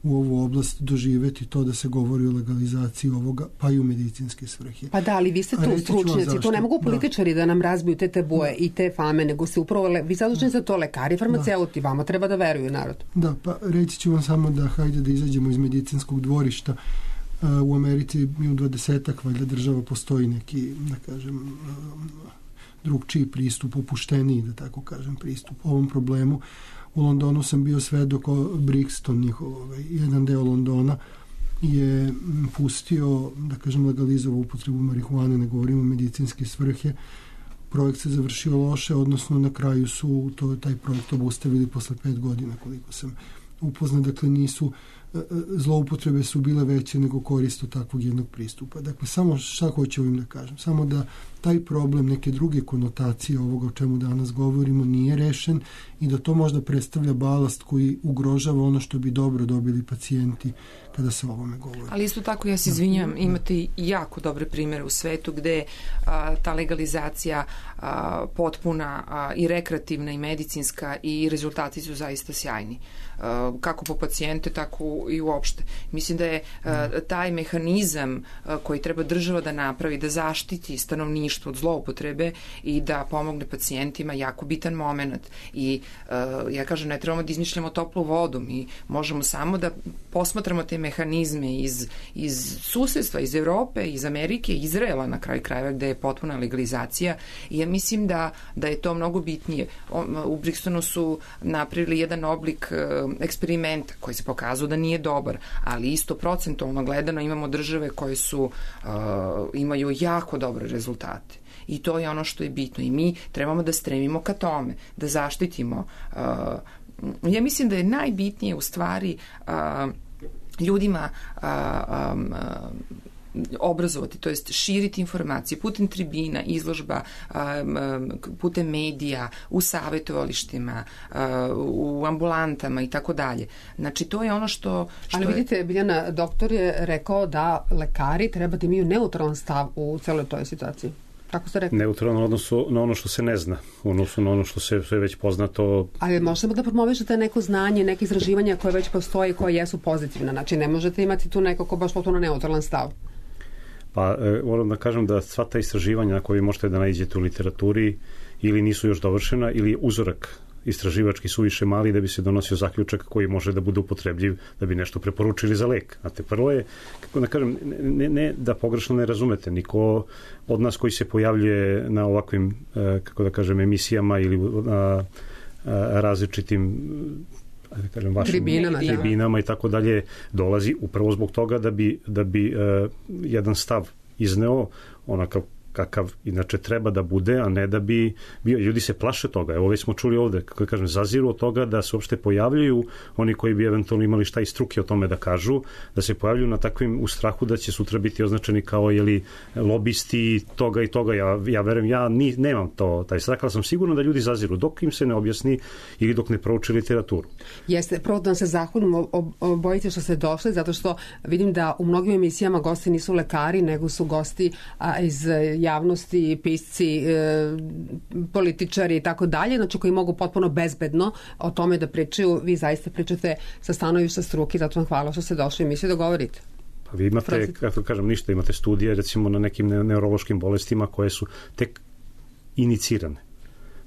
S6: u ovu oblast doživeti to da se govori o legalizaciji ovoga, pa i u medicinske svrhe.
S2: Pa da, ali vi ste tu stručnjaci, to ne mogu političari da nam razbiju te tabue i te fame, nego se upravo, vi zaduženi za to, lekari, farmaceuti, vama treba da veruju narod.
S6: Da, pa reći ću vam samo da hajde da izađemo iz medicinskog dvorišta. U Americi i u 20-ak valjda država postoji neki, da kažem, drugčiji pristup, opušteniji, da tako kažem, pristup ovom problemu. U Londonu sam bio svedok Brixton, njihov, jedan deo Londona je pustio, da kažem, legalizovao upotrebu marihuane, ne govorimo o medicinske svrhe. Projekt se završio loše, odnosno na kraju su taj projekt obustavili posle 5 godina, koliko sam upoznat. Dakle, zloupotrebe su bile veće nego korist od takvog jednog pristupa. Dakle, samo šta hoću ovim da kažem? Samo da taj problem, neke druge konotacije ovoga o čemu danas govorimo nije rešen i da to možda predstavlja balast koji ugrožava ono što bi dobro dobili pacijenti kada se o ovome govori.
S3: Ali isto tako, ja se izvinjam, imate i jako dobre primere u svetu gde ta legalizacija potpuna i rekreativna i medicinska i rezultati su zaista sjajni. Kako po pacijente, tako i uopšte. Mislim da je taj mehanizam koji treba država da napravi, da zaštiti stanovništvo od zloupotrebe i da pomogne pacijentima jako bitan moment. I ja kažem, ne trebamo da izmišljamo toplu vodu, mi možemo samo da posmatramo te mehanizme iz susedstva, iz Evrope, iz Amerike, Izraela na kraju krajeva gde je potpuna legalizacija i ja mislim da je to mnogo bitnije. U Brixtonu su napravili jedan oblik eksperimenta koji se pokazao da nije dobar, ali isto procentualno gledano imamo države koje imaju jako dobre rezultate. I to je ono što je bitno i mi trebamo da stremimo ka tome, da zaštitimo. Ja mislim da je najbitnije u stvari ljudima obrazovati, to jest širiti informacije putem tribina, izložba, putem medija, u savjetovalištima, u ambulantama i tako dalje. Znači, to je ono što
S2: ali vidite, Biljana, doktor je rekao da lekari treba da imaju neutralan stav u celoj toj situaciji. Kako ste rekli?
S5: Neutralno odnosu na ono što se ne zna, odnosno na ono što se već poznato. Ali
S2: možemo da promovišete neko znanje, neke izraživanja koje već postoje i koje jesu pozitivne. Znači, ne možete imati tu neko ko baš potpuno neutralan stav.
S5: Pa, moram da kažem da sva ta istraživanja na koje možete da nađete u literaturi ili nisu još dovršena ili uzorak istraživački su više mali da bi se donosio zaključak koji može da bude upotrebljiv da bi nešto preporučili za lek. Znate, prvo je, kako da kažem, ne da pogrešno ne razumete, niko od nas koji se pojavljuje na ovakvim, kako da kažem, emisijama ili na različitim tribinama i tako dalje dolazi upravo zbog toga da bi jedan stav izneo onakav kakav inače treba da bude, a ne da bi bio. Ljudi se plaše toga. Evo već smo čuli ovde, kako kažem, zaziru od toga da se uopšte pojavljaju oni koji bi eventualno imali šta iz struke o tome da kažu, da se pojavljuju na takvim u strahu da će sutra biti označeni kao lobisti toga i toga. Ja verujem, nemam taj strah, ali sam sigurno da ljudi zaziru dok im se ne objasni ili dok ne prouči literaturu.
S2: Jeste, prvo da vam se zahvalim, bojite što ste došli, zato što vidim da u mnogim emisijama gosti nisu lekari, nego su gosti iz javnosti, pisci, političari i tako dalje, znači koji mogu potpuno bezbedno o tome da pričaju. Vi zaista pričate sa stanovišta struke, zato vam hvala što ste došli i misli da govorite.
S5: Pa vi imate, kako kažem, ništa, imate studije recimo na nekim neurološkim bolestima koje su tek inicirane.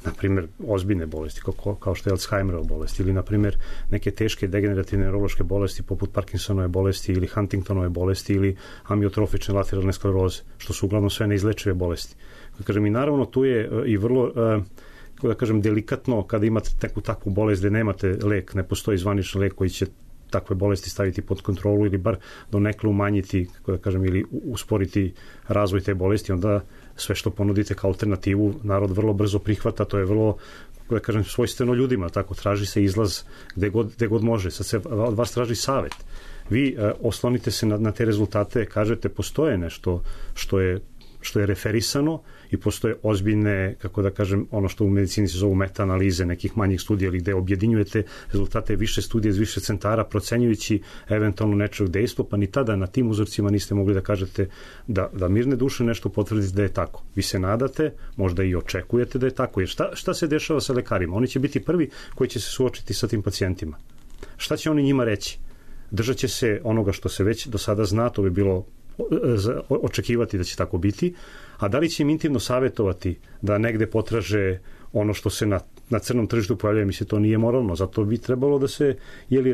S5: Naprimjer, ozbiljne bolesti kao što je Alzheimerova bolest ili naprimjer neke teške degenerativne neurološke bolesti poput Parkinsonove bolesti ili Huntingtonove bolesti ili amiotrofične lateralne skleroze, što su uglavnom sve neizlečive bolesti. Kažem, i naravno tu je i vrlo da kažem, delikatno kada imate takvu bolest gde nemate lek, ne postoji zvaničan lek koji će takve bolesti staviti pod kontrolu ili bar donekle umanjiti, kako da kažem, ili usporiti razvoj te bolesti, onda sve što ponudite kao alternativu narod vrlo brzo prihvata, to je vrlo, da kažem, svojstveno ljudima, tako traži se izlaz gde god može. Sad se od vas traži savet. Vi oslonite se na te rezultate, kažete postoje nešto što je što je referisano i postoje ozbiljne, kako da kažem, ono što u medicini se zovu meta-analize nekih manjih studija ili gde objedinjujete rezultate više studija iz više centara procenjujući eventualno nečeg dejstvo, pa ni tada na tim uzorcima niste mogli da kažete da mirne duše nešto potvrdite da je tako. Vi se nadate, možda i očekujete da je tako. Jer šta se dešava sa lekarima? Oni će biti prvi koji će se suočiti sa tim pacijentima. Šta će oni njima reći? Držat će se onoga što se već do sada zna, to bi bilo očekivati da će tako biti, a da li će im intimno savjetovati da negde potraže ono što se na crnom tržištu pojavlja, mi se to nije moralno, zato bi trebalo da se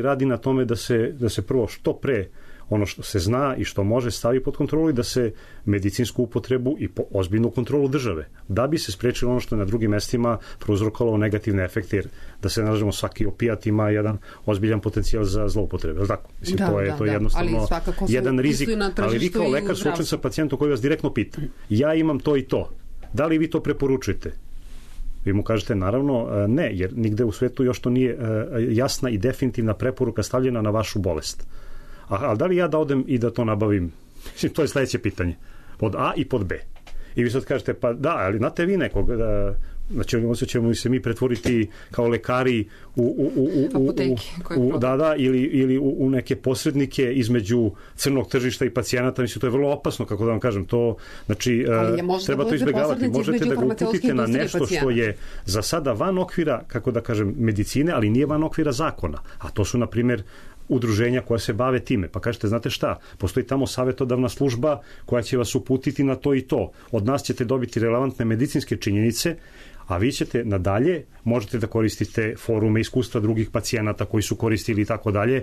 S5: radi na tome da se prvo što pre ono što se zna i što može stavi pod kontrolu i da se medicinsku upotrebu i ozbiljnu kontrolu države, da bi se sprečilo ono što je na drugim mestima prouzrokovalo negativne efekte, jer da se nalažemo svaki opijat ima jedan ozbiljan potencijal za zloupotrebe, je li tako? Mislim, to je jednostavno jedan rizik, ali vi kao lekar suočen sa pacijentom koji vas direktno pita, ja imam to i to, da li vi to preporučujete? Vi mu kažete naravno ne, jer nigde u svetu još to nije jasna i definitivna preporuka stavljena na vašu bolest. Ali da li ja da odem i da to nabavim? To je sledeće pitanje. Pod A i pod B. I vi sad kažete, pa da, ali znate vi nekog, znači ćemo se mi pretvoriti kao lekari ili u neke posrednike između crnog tržišta i pacijenata, mislim, to je vrlo opasno, kako da vam kažem, to, znači, treba to izbjegavati. Možete da ga uputite na nešto što je za sada van okvira, kako da kažem, medicine, ali nije van okvira zakona. A to su, na primjer, udruženja koja se bave time. Pa kažete, znate šta, postoji tamo savjetodavna služba koja će vas uputiti na to i to. Od nas ćete dobiti relevantne medicinske činjenice, a vi ćete nadalje, možete da koristite forume, iskustva drugih pacijenata koji su koristili i tako dalje.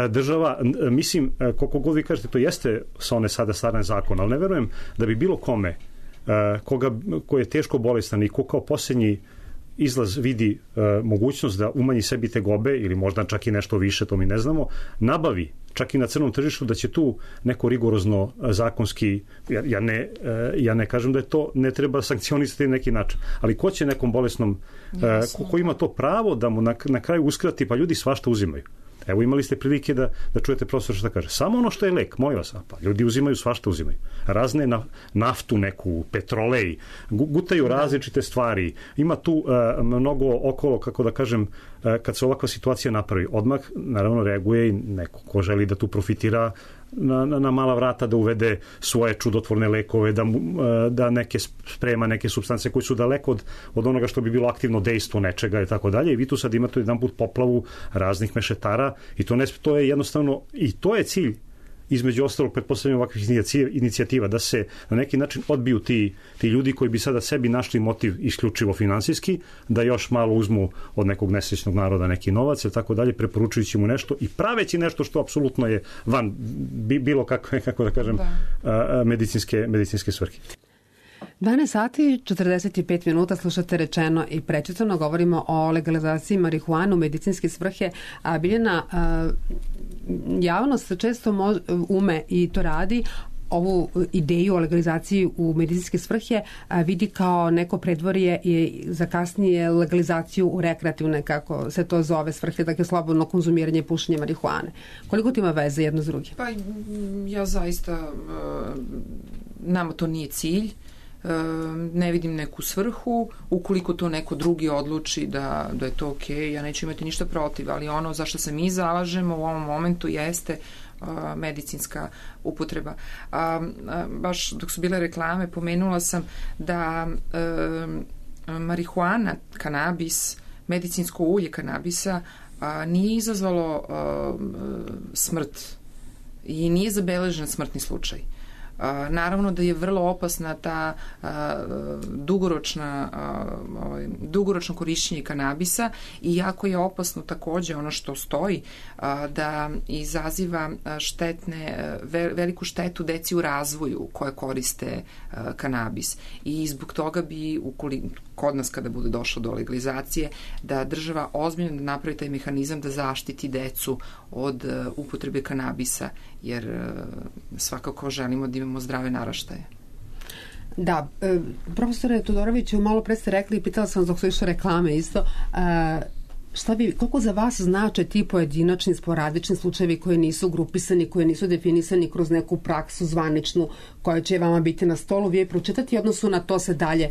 S5: Država, mislim, koliko god vi kažete, to jeste sa one sada starane zakona, ali ne verujem da bi bilo kome ko je teško bolestan i ko kao posljednji izlaz vidi mogućnost da umanji sebi tegobe ili možda čak i nešto više, to mi ne znamo, nabavi čak i na crnom tržištu da će tu neko rigorozno zakonski, ja ne kažem da je to ne treba sankcionisati na neki način, ali ko će nekom bolesnom, ko ima to pravo da mu na kraju uskrati, pa ljudi svašta uzimaju. Evo, imali ste prilike da čujete profesor što kaže. Samo ono što je lek, molim vas, pa ljudi uzimaju, svašta uzimaju. Razne naftu neku, petrolej, gutaju različite stvari. Ima tu mnogo okolo, kako da kažem, kad se ovakva situacija napravi. Odmah, naravno, reaguje i neko ko želi da tu profitira na mala vrata, da uvede svoje čudotvorne lekove, da neke sprema neke supstance koji su daleko od onoga što bi bilo aktivno dejstvo nečega i tako dalje. I vi tu sad imate jedan put poplavu raznih mešetara i to je jednostavno, i to je cilj između ostalog pretpostavljamo ovakvih inicijativa, da se na neki način odbiju ti ljudi koji bi sada sebi našli motiv isključivo finansijski, da još malo uzmu od nekog nesrećnog naroda neki novac i tako dalje, preporučujući mu nešto i praveći nešto što apsolutno je van bilo kakve, kako da kažem, medicinske svrhe.
S2: 12 sati, 45 minuta, slušate Rečeno i prečitano, govorimo o legalizaciji marihuane u medicinske svrhe. Biljana, javnost često ume i to radi, ovu ideju o legalizaciji u medicinske svrhe vidi kao neko predvorje i za kasnije legalizaciju u rekreativne, kako se to zove, svrhe, dakle slobodno konzumiranje i pušenje marihuane. Koliko to ima veze jedno s drugim?
S3: Pa ja zaista, nama to nije cilj, ne vidim neku svrhu, ukoliko to neko drugi odluči da je to okej, ja neću imati ništa protiv, ali ono za što se mi zalažemo u ovom momentu jeste medicinska upotreba. Baš dok su bile reklame pomenula sam da marihuana, kanabis, medicinsko ulje kanabisa nije izazvalo smrt i nije zabeležen smrtni slučaj. Naravno da je vrlo opasna ta dugoročno korišćenje kanabisa i jako je opasno takođe ono što stoji da izaziva veliku štetu deci u razvoju koje koriste kanabis i zbog toga bi kod nas kada bude došlo do legalizacije da država ozbiljno napravi taj mehanizam da zaštiti decu od upotrebe kanabisa, jer svakako želimo da imamo zdrave naraštaje.
S2: Da, profesore Todoroviću, malo pre ste rekli i pitala sam dok su išle reklame isto, koliko za vas znače ti pojedinačni, sporadični slučajevi koji nisu grupisani, koji nisu definisani kroz neku praksu zvaničnu koja će vama biti na stolu, vi je pročitati, odnosu na to se dalje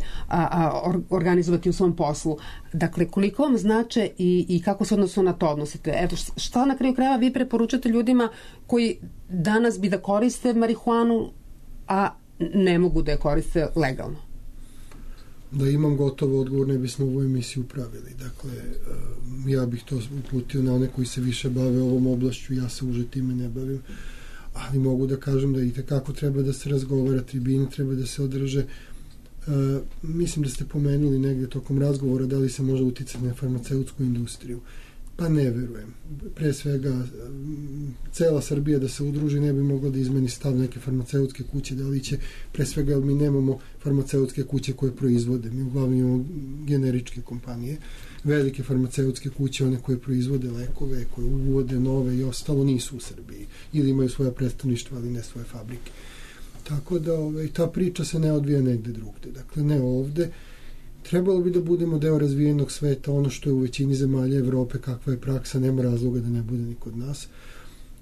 S2: organizovati u svom poslu. Dakle, koliko vam znače i kako se odnosu na to odnosite? Eto, šta na kraju krajeva vi preporučate ljudima koji danas bi da koriste marihuanu, a ne mogu da je koriste legalno?
S6: Da imam gotov odgovor, ne bismo ovu emisiju pravili. Dakle, ja bih to uputio na one koji se više bave ovom oblašću, ja se uže time ne bavim, ali mogu da kažem da i tekako treba da se razgovara, tribine treba da se održe. Mislim da ste pomenuli negdje tokom razgovora da li se može uticati na farmaceutsku industriju. Pa ne verujem. Pre svega, cela Srbija da se udruži ne bi mogla da izmeni stav neke farmaceutske kuće, da li će, pre svega mi nemamo farmaceutske kuće koje proizvode, mi uglavnom imamo generičke kompanije, velike farmaceutske kuće, one koje proizvode lekove, koje uvode nove i ostalo, nisu u Srbiji, ili imaju svoja predstavništva, ali ne svoje fabrike. Tako da ta priča se ne odvija negde drugde, dakle ne ovde. Trebalo bi da budemo deo razvijenog sveta, ono što je u većini zemalja Evrope, kakva je praksa, nema razloga da ne bude ni kod nas.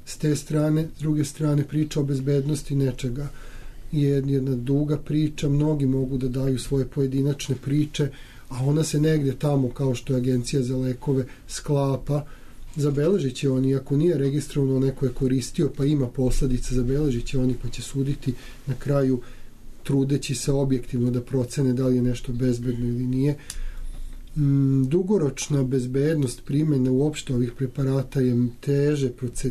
S6: S te strane, s druge strane, priča o bezbednosti nečega je jedna duga priča, mnogi mogu da daju svoje pojedinačne priče, a ona se negdje tamo, kao što je Agencija za lekove, sklapa, zabeležit će oni, ako nije registrovano, neko je koristio, pa ima posledice, zabeležit će oni, pa će suditi na kraju, trudeći se objektivno da procene da li je nešto bezbedno ili nije. Dugoročna bezbednost primjene uopšte ovih preparata je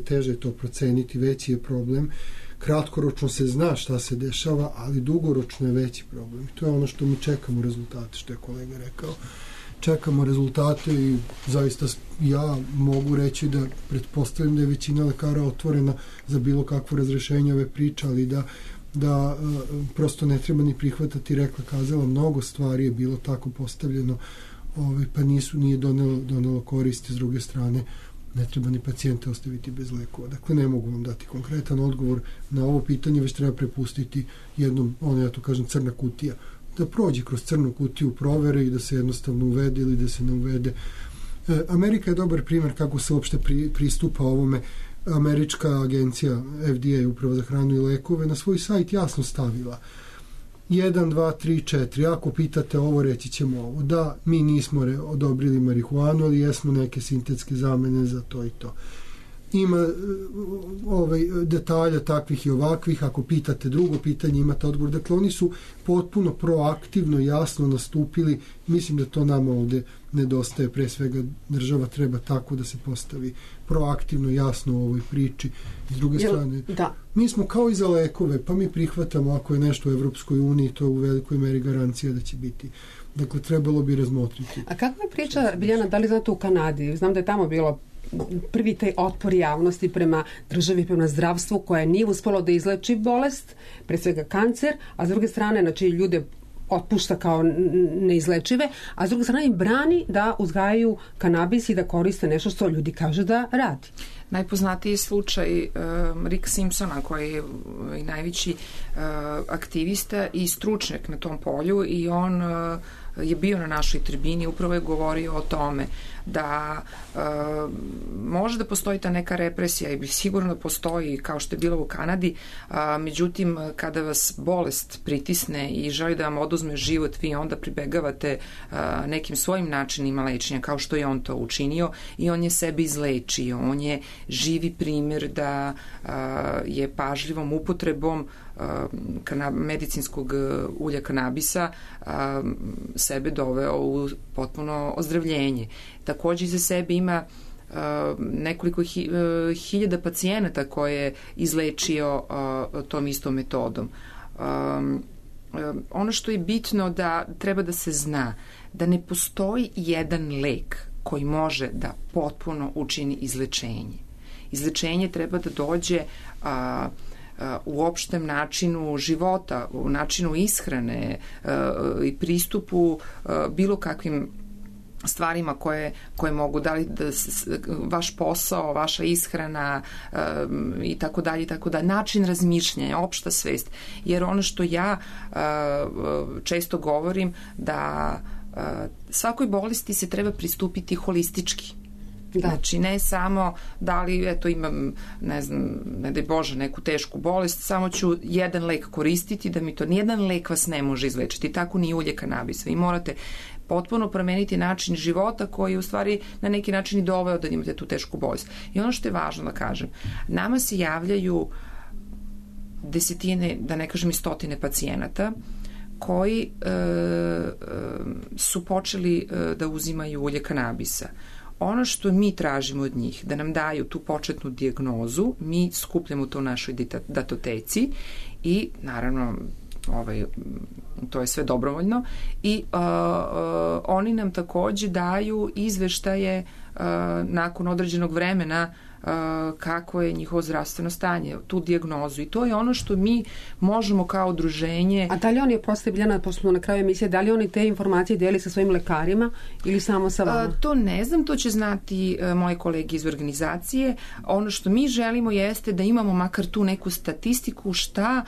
S6: teže to proceniti, veći je problem. Kratkoročno se zna šta se dešava, ali dugoročno je veći problem. To je ono što mi čekamo rezultate, što je kolega rekao. Čekamo rezultate i zaista ja mogu reći da pretpostavljam da je većina lekara otvorena za bilo kakvo razrešenje ove priče, ali da prosto ne treba ni prihvatati, rekla, kazala, mnogo stvari je bilo tako postavljeno, pa nije donelo koristi. S druge strane, ne treba ni pacijente ostaviti bez lekova. Dakle, ne mogu vam dati konkretan odgovor na ovo pitanje, već treba prepustiti jednom, ja to kažem, crna kutija, da prođe kroz crnu kutiju provere i da se jednostavno uvede ili da se ne uvede. Amerika je dobar primjer kako se uopšte pristupa ovome. Američka agencija FDA, Uprava za hranu i lekove, na svoj sajt jasno stavila 1, 2, 3, 4. Ako pitate ovo, reći ćemo ovo. Da, mi nismo odobrili marihuanu, ali jesmo neke sintetske zamene za to i to. Ima detalja takvih i ovakvih. Ako pitate drugo pitanje, imate odgovor. Dakle, oni su potpuno proaktivno, jasno nastupili. Mislim da to nama ovde nedostaje. Pre svega, država treba tako da se postavi proaktivno, jasno u ovoj priči. S druge strane, mi smo kao i za lekove, pa mi prihvatamo ako je nešto u Evropskoj uniji, to je u velikoj meri garancija da će biti. Dakle, trebalo bi razmotriti.
S2: A kakva je priča, Biljana, da li znate u Kanadi? Znam da je tamo bilo prvi taj otpor javnosti prema državi, prema zdravstvu, koje nije uspelo da izleči bolest, pre svega kancer, a s druge strane, znači, ljude otpušta kao neizlečive, a s druge strane im brani da uzgajaju kanabis i da koriste nešto što ljudi kaže da radi.
S3: Najpoznatiji slučaj Rick Simpsona, koji je najveći aktivista i stručnjak na tom polju, i on je bio na našoj tribini, upravo je govorio o tome da može da postoji ta neka represija i sigurno postoji, kao što je bilo u Kanadi, međutim, kada vas bolest pritisne i želi da vam oduzme život, vi onda pribegavate nekim svojim načinima lečenja, kao što je on to učinio, i on je sebe izlečio. On je živi primjer da je pažljivom upotrebom medicinskog ulja kanabisa sebe doveo u potpuno ozdravljenje. Takođe iza sebe ima nekoliko hiljada pacijenata koje je izlečio tom istom metodom. Ono što je bitno da treba da se zna da ne postoji jedan lek koji može da potpuno učini izlečenje. Izlečenje treba da dođe u opštem načinu života, u načinu ishrane i pristupu bilo kakvim stvarima koje mogu da vaš posao, vaša ishrana i tako dalje, način razmišljanja, opšta svest. Jer ono što ja često govorim, da svakoj bolesti se treba pristupiti holistički. Znači, ne samo da li, eto, imam, ne znam, ne daj Bože, neku tešku bolest, samo ću jedan lek koristiti, da mi to, nijedan lek vas ne može izlečiti, tako ni ulje kanabisa. Vi morate potpuno promeniti način života koji je u stvari na neki način i doveo da imate tu tešku bolest. I ono što je važno da kažem, nama se javljaju desetine, da ne kažem i stotine pacijenata koji su počeli da uzimaju ulje kanabisa. Ono što mi tražimo od njih, da nam daju tu početnu dijagnozu, mi skupljamo to u našoj datoteci i naravno to je sve dobrovoljno i oni nam takođe daju izveštaje nakon određenog vremena kako je njihovo zdravstveno stanje, tu dijagnozu i to je ono što mi možemo kao udruženje.
S2: A da li oni, prosto Biljana, pošto smo na kraju emisije, da li oni te informacije deli sa svojim lekarima ili samo sa vama?
S3: To ne znam, to će znati moji kolege iz organizacije. Ono što mi želimo jeste da imamo makar tu neku statistiku šta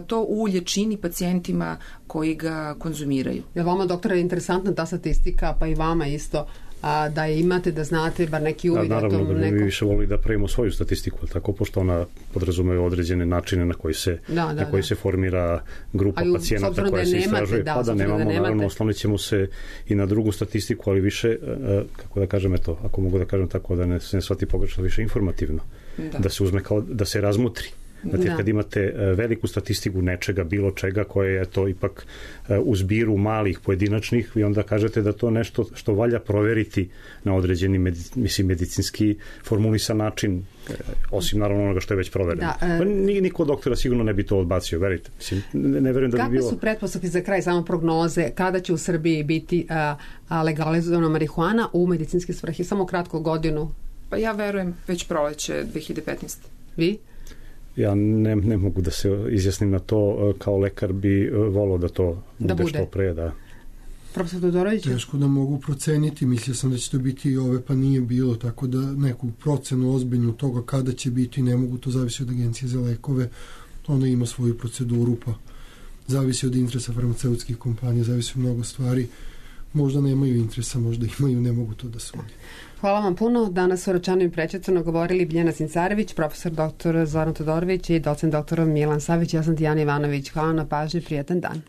S3: to ulje čini pacijentima koji ga konzumiraju.
S2: Je vama, doktore, interesantna ta statistika, pa i vama isto, da je imate, da znate bar neki uvid?
S5: Naravno da bi mi više volili da pravimo svoju statistiku, tako pošto ona podrazumeva određene načine na koji se, se formira grupa pacijenata koja se istražuje. Pa da nemamo, naravno, oslonit ćemo se i na drugu statistiku, ali više, kako da kažem, eto, ako mogu da kažem tako, da ne shvati pogrešno, više informativno. Da se uzme kao, da se razmutri. Znate, kad imate veliku statistiku nečega, bilo čega, koje je to ipak u zbiru malih pojedinačnih, i onda kažete da to nešto što valja proveriti na određeni medicinski formulisan način, osim naravno onoga što je već provereno. Pa niko doktora sigurno ne bi to odbacio, verite. Mislim, ne verujem da bi bilo...
S2: Kakve su pretpostavke za kraj, samo prognoze, kada će u Srbiji biti legalizovana marihuana u medicinske svrhe? Samo kratko, godinu.
S3: Pa ja verujem već proleće 2015.
S2: Vi?
S5: Ja ne mogu da se izjasnim na to, kao lekar bi volao da to bude što pre, da.
S2: Profesor Todorović?
S6: Teško da mogu proceniti, mislio sam da će to biti i ove, pa nije bilo, tako da neku procenu ozbiljnu toga kada će biti, ne mogu, to zavisi od Agencije za lekove, ona ima svoju proceduru, pa zavisi od interesa farmaceutskih kompanija, zavisi od mnogo stvari, možda nemaju interesa, možda imaju, ne mogu to da sudim.
S2: Hvala vam puno. Danas su Račanu i Prečetno govorili Biljana Cincarević, profesor dr. Zoran Todorović i docent dr. Milan Savić. Ja sam Dijana Ivanović. Hvala na pažnji, prijatan dan.